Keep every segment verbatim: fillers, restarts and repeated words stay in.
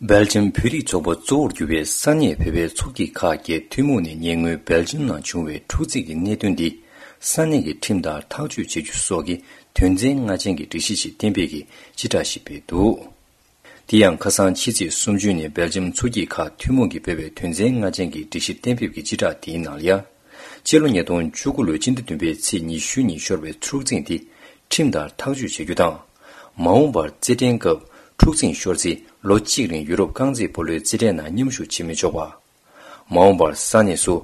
སྦེལ་ཇམ་བོད་རིགས་ཚོགས་པ་གཙོ་བོར་གྱུར་བའི་ས་གནས་བོད་པའི་ཚོགས་སྐྱིད་ཁག་བརྒྱད་ཐུན་མོང་ནས་ཉེ་སྔོན་སྦེལ་ཇམ་ནང་བྱུང་བའི་འཁྲུག་འཛིང་གི་གནད་དོན་འདི་ས་གནས་ཀྱི་ཁྲིམས་ལྟར་ཐག་གཅོད་བྱེད་རྒྱུ་སོགས་ཀྱི་དོན་ཚན་ལྔ་ཅན་གྱི་སྒྲིག་གཞི་ཞིག་གཏན་འབེབས་ཀྱིས་སྤྱི་བསྒྲགས་ཤིག་སྤེལ་འདུག། དེ་ཡང་ཁ་སང་ཕྱི་ཚེས་སུམ་ཅུ་ཉིན་སྦེལ་ཇམ་ཚོགས་སྐྱིད་ཁག་ཐུན་མོང་གིས་སྤེལ་བའི་དོན་ཚན་ལྔ་ཅན་གྱི་སྒྲིག་གཞི་གཏན་འབེབས་ཀྱི་སྤྱི་བསྒྲགས་དེའི་ནང་ལ་ཡ། སྤྱི་ལོ་ཉིས་སྟོང་བཅུ་དགུ་ལོའི་སྤྱི་ཟླ་བདུན་པའི་ཚེས་ཉི་ཤུ་ཉིན་ཤོར་བའི་འཁྲུག་འཛིང་དེ་ཁྲིམས་ལྟར་ཐག་གཅོད་བྱ་རྒྱུ་དང་། མ་འོངས་པར་རྩེད་འགྲན་སྐབས་འཁྲུག་འཛིང་ཤོར་ཚེ་ལོ་གཅིག་རིང་ཡུ་རོབ་རྐང་རྩེད་སྤོ་ལོའི་རྩེད་འགྲན་ནང་མཉམ་ཞུགས་བྱེད་མི་ཆོག་པ། མ་འོངས་པར་ས་གནས་སུ་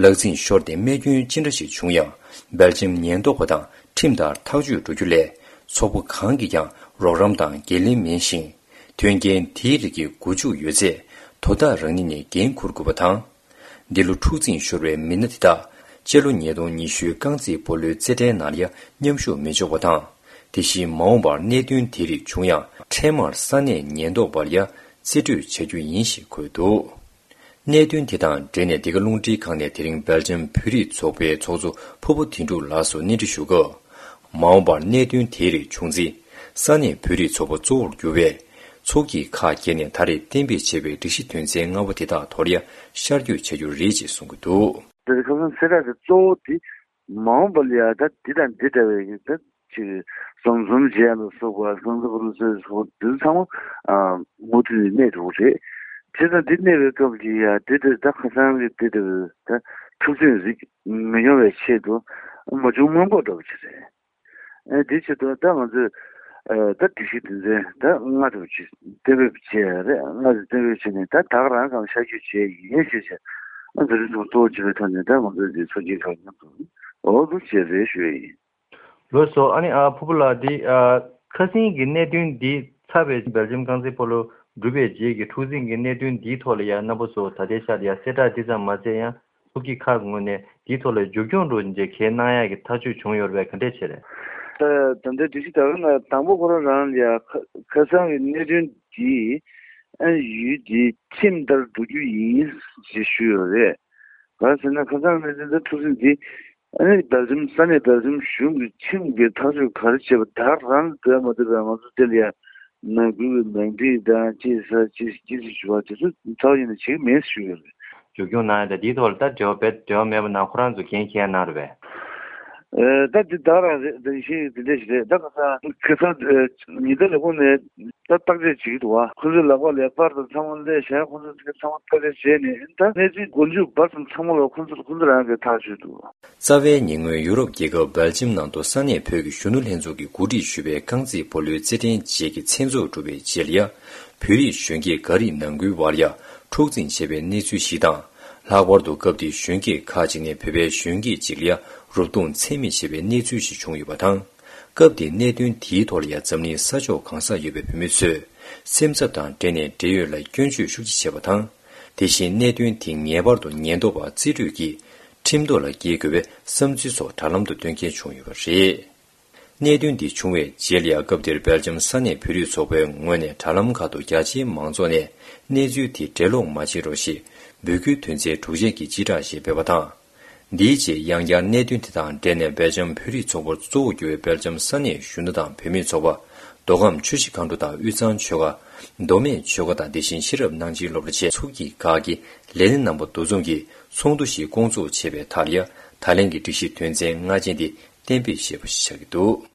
ལག་འཛིང་ཤོར་ཏེ་རྨས་སྐྱོན་ཅི་འདྲ་ཞིག་བྱུང་ཡང་སྦེལ་ཇམ་ཉེན་རྟོག་པ་དང་ཁྲིམས་ལྟར་ཐག་གཅོད་འགྲོ་རྒྱུ་ལས་ཚོགས་པ་གང་གིས་ཀྱང་རོགས་རམ་དང་འགན་ལེན་མིན་ཞིང་། དོན་རྐྱེན་དེའི་རིགས་ཀྱི་མགོ་མཇུག་ཡོད་ཚད་དོ་བདག་རང་ཉིད་ནས་འགན་འཁུར་དགོས་པ་དང་། འདི་ལོ་འཁྲུག་འཛིང་ཤོར་བའི་མི་སྣ་དེ་དག་སྤྱི་ལོ་ཉིས་སྟོང་ཉི་ཤུའི་རྐང་རྩེད་སྤོ་ལོའི་རྩེད་འགྲན་ནང་ལ་ཡང་མཉམ་ཞུགས་མི་ཆོག་པ་དང་། དེ་བཞིན་མ་འོངས་པར་གནད་དོན་དེ་རིགས་བྱུང་ཡང་འཕྲལ་མར་ས་གནས་ཉེན་རྟོག་པར་ཡང་རྩིས་སྤྲོད་བྱ་རྒྱུ་ཡིན་ཞེས་འཁོད་འདུག། གནད་དོན་དེ་དང་འབྲེལ་ནས་འདི་ག་རླུང་འཕྲིན་ཁང་ནས་དེ་རིང་སྦེལ་ཇམ་བོད་རིགས་ཚོགས་པའི་ཚོགས་གཙོ་ཕུར་བུ་དོན་གྲུབ་ལགས་སུ་གནས་འདྲི་ཞུ་སྐབས། མ་འོངས་པར་གནད་དོན་དེའི་རིགས་བྱུང་ཚེ། ས་གནས་བོད་རིགས་ཚོགས་པ་གཙོ་བོར་གྱུར་བའི་ཚོགས་སྐྱིད་ཁག་བརྒྱད་ནས་ད་རེས་གཏན་འབེབས་བྱས་པའི་སྒྲིག་གཞི་དོན་ཚན་ལྔ་པོ་དེ་དག་ཐོག་ལ་ཡང་ཤར་བསྐྱོད་བྱ་རྒྱུ་རེད་ཅེས་གསུང་གི་འདུག། དེ་ཁ་སང་གསལ་བསྒྲགས་ཀྱི་གཙོ་བོ་དེ་མ་འོངས་པ་ལ་ཡང་ད་འདི་དང་འདི་འདྲ་བའི་ད་ཅིག་ཟམ་ཟུམ་བྱས་ལ་སོགས་པ་སང་ས་ཕུ་རུ་སོགས་སོགས་འདི་ཚང་མ་མུ་མཐུད་ནས་གནས་འགྲོ་གི་རེད། བྱས་ཙང་འདི་གནས་པའི་སྐབས་ཀྱི་ཡ་འདི་འདི་ད་ཁ་སང་གི་འདི་འདི་ད་འཁྲུག་འཛིང་རིགས་མི་ཡོང་བའི་ཆེད་དུ་མ་བྱུང་སྔོན་འགོག་འདྲ་བོ་ཅིག་རེད། ཨེ་དེའི་ཆེད་དུ་ད་ང་ཚོས་ཨ་ད་སྒྲིག་གཞི་དོན་ཚན་ད་ལྔ་དེ་བ་ཅིག་གཏན་འབེབས་བྱས་རེད། ལྔ་དེ་གཏན་འབེབས་བྱས་ནས་ད་ད་ག་རང་གང་ཤར་བསྐྱོད་བྱས་ཡིན་ཞུས་བྱས། ཨ་འཛིན་རིམ་སོགས་གཙོ་བོ་བྱས་པའི་ཐོག་ནས་ད་ང་ཚོས་འདི་ཚོགས་སྐྱིད་ཁག་མཉམ་དུ་འོག་ཏུ་བྱས་རེད་ཞུ་ཡ་ཡིན། ལགས་སོ། ཨ་ནི་ཨ་ཕུར་བུ་ལགས་འདི་ཨ་ཁ་སང་གི་གནད་དོན་འདི་ཚར་བའི་སྦེལ་ཇམ་རྐང་རྩེད་སྤོ་ལོ་གྲུབ་པའི་རྗེས་ཀྱི་འཁྲུག་འཛིང་གི་གནད་དོན་འདིའི་ཐོག་ལ་ཡང་རྣམ་པ་ཚོ་ད་ལྟའི་ཆར་ཡང་གསལ་བསྒྲགས་འདི་ཙམ་མ་བྱས་ཡང་། ཚོགས་སྐྱིད་ཁག་གི་ངོས་ནས་དེའི་ཐོག་ལ་མཇུག་སྐྱོང་འགྲོ་རྒྱུ་གལ་གནང་ཡག་གི་ཐག་གཅོད་བྱུང་ཡོད་རེད་པས། ག་འདྲས་བྱས་རེད། ད་ད་ལྟའི་སྒྲིག་གཞི་ད་ག་ནང་དང་པོ་ཁོ་རང་རང་ལ་ཡ་ཁ་ཁ་སང་གི་གནད་དོན་འདི་ཨ་ཡུལ་འདི་ཁྲིམས་ལྟར་འགྲོ་རྒྱུ་ཡིན་ཞེས་ཞུས་ཡོད་རེད། ག་རེ་ཟེར་ན་ཁ་སང་གནད་དོན་ད་འཁྲུག་འཛིང་འདི་ཨ་ནི་སྦེལ་ཇམ་ས་གནས་སྦེལ་ཇམ་གཞུང་གི་ཁྲིམས་ཀྱི་ཐག་གཅོད་ག་རེ་བྱས་པ་ད་རང་འདོད་མ་འདོད་པའི་ང་ཚོ་དེ་ལ་ཡ། ནང་ཁུལ་གྱི་ནང་འགྲིག་དང་ཅི་ཟེར་ཅི་ཅི་ཟེར་ཞུ་བ་དེ་ཚོ་ཚ་བ་ཡིན་ན་བྱེད་ཀྱི་མེད་ཞུ་ཡོད་རེད། མཇུག་སྐྱོང་གནང་ཡ་དང་དེའི་ཐོག་ལ་ད་འབྲེལ་བ་བེད་འབྲེལ་བ་མེད་པ་ན་ཁོ་རང་ཚོ་འགན་འཁྱེར་གནང་རེད་པས། ཨེ་ད་དེ་ད་རང་རེད། ད་ཤེས་ཡོད་དེ་འདྲ་ཞིག་རེད། ད་ཁ་སང་ཁ་སང་ཉི་ཟླ་ལས་ཁུངས་ནས་ད་བརྟག་དཔྱད་བྱེད་ཀྱི་འདུག་བ། ཁོ་ཚོའི་ལག་པ་ལ་པར་དང་ཚང་མ་སླེབས་བཞག་ཁོ་ཚོས་དེ་ཚང་མ་བརྟག་དཔྱད་བྱས་ནས་ད་གནས་ཚུལ་མགོ་མཇུག་བར་ཙམ་ཚང་མ་ལ་ཁོ་ཚོ་ཁོ་ཚོ་རང་གིས་ཐག་གཅོད་འདུག། རྩ་བའི་ཉེ་སྔོན་ཡུ་རོབ་རྒྱལ་ཁབ་སྦེལ་ཇམ་ནང་དུ་ས་གནས་བོད་ཀྱི་གཞོན་ནུ་ལྷན་ཚོགས་ཀྱིས་གོ་སྒྲིག་ཞུས་པའི་རྐང་རྩེད་སྤོ་ལོའི་རྩེད་འགྲན་བཅས་ཀྱི་མཚན་ཚོགས་གྲུབ་པའི་རྗེས་ལ་ཡ། བོད་རིགས་གཞོན་སྐྱེས་འགའ་རེས་ནང་ཁུལ་བར་ཡ་འཁྲུག་འཛིང་བྱས་པའི་གནས་ཚུལ་ཞིག་དང་། ལྷག་པར་དུ་སྐབས་དེའི་གཞོན་སྐྱེས་ཁག་ཅིག་ནས་བོད་པའི་གཞོན་སྐྱེས་ཅིག་ལ་ཡ་རུབ་རྡུང་ཚད་མེད་བྱས་པའི་གནས་ཚུལ་ཞིག་བྱུང་ཡོད་པ་དང་། སྐབས་དེའི་གནད་དོན་དེའི་ཐོག་ལ་ཡ་འཛམ་གླིང་ས་ཕྱོགས་གང་སར་ཡོད་པའི་བོད་མི་ཚོས་སེམས་འཚབ་དང་འབྲེལ་ནས་འབྲེལ་ཡོད་ལ་སྐྱོན་བརྗོད་ཤུགས་ཆེ་བྱས་པ་དང་། དེ་བཞིན་གནད་དོན་དེ་ངེས་པར་དུ་ཉེན་རྟོག་པ་རྩིས་སྤྲོད་ཀྱིས་ཁྲིམས་ཐོག་ལ་འཁྱེར་དགོས་པའི་བསམ་ཚུལ་སོགས་དྲ་ལམ་དུ་བཏོན་མཁན་བྱུང་ཡོད་པ་རེད། གནད་དོན་འདི་བྱུང་བའི་རྗེས་ལ་ཡང་སྐབས་དེར་སྦེལ་ཇམ་ས་གནས་བོད་རིགས་ཚོགས་པའི་ངོས་ནས་དྲ་ལམ་ཁག་ཏུ་རྒྱ་ཆེའི་མང་ཚོགས་ནས་གནས་ཚུལ་དེ་འགྲེལ་ལོག་མ་བྱེད་རོགས་ཞེས་འབོད་སྐུལ་དོན་ཚན་དྲུག་ཅན་གྱི་སྤྱི་བསྒྲགས་ཤིག་སྤེལ་བ་དང་། འདིའི་རྗེས་ཡང་བསྐྱར་གནད་དོན་དེ་དང་འབྲེལ་ནས་སྦེལ་ཇམ་བོད་རིགས་ཚོགས་པར་གཙོ་བོ་གྱུར་བའི་སྦེལ་ཇམ་ས་གནས་གཞོན་ནུ་དང་བུད་མེད་ཚོགས་པ། མདོ་ཁམས་ཆུ་བཞི་སྒང་དྲུག་དང་དབུས་གཙང་ཆོལ་ཁ། མདོ་སྨད་ཆོལ་ཁ་དང་དེ་བཞིན་ཤེས་རབ་སྣང་ཆེན་སློབ་གྲྭ་བཅས་ཚོགས་སྐྱིད་ཁག་གི་ལས་སྣེ་རྣམ་པ་འདུ་འཛོམས་ཀྱིས་ཚོགས་འདུ་ཞིག་བསྐོང་ཚོགས་བྱས་པའི་མཐར་ཡང་ད་ལན་གྱི་སྒྲིག་གཞི་དོན་ཚན་ལྔ་ཅན་དེ་གཏན་འབེབས་བྱས་པ་ཞིག་ཆགས་ཀྱི་འདུག།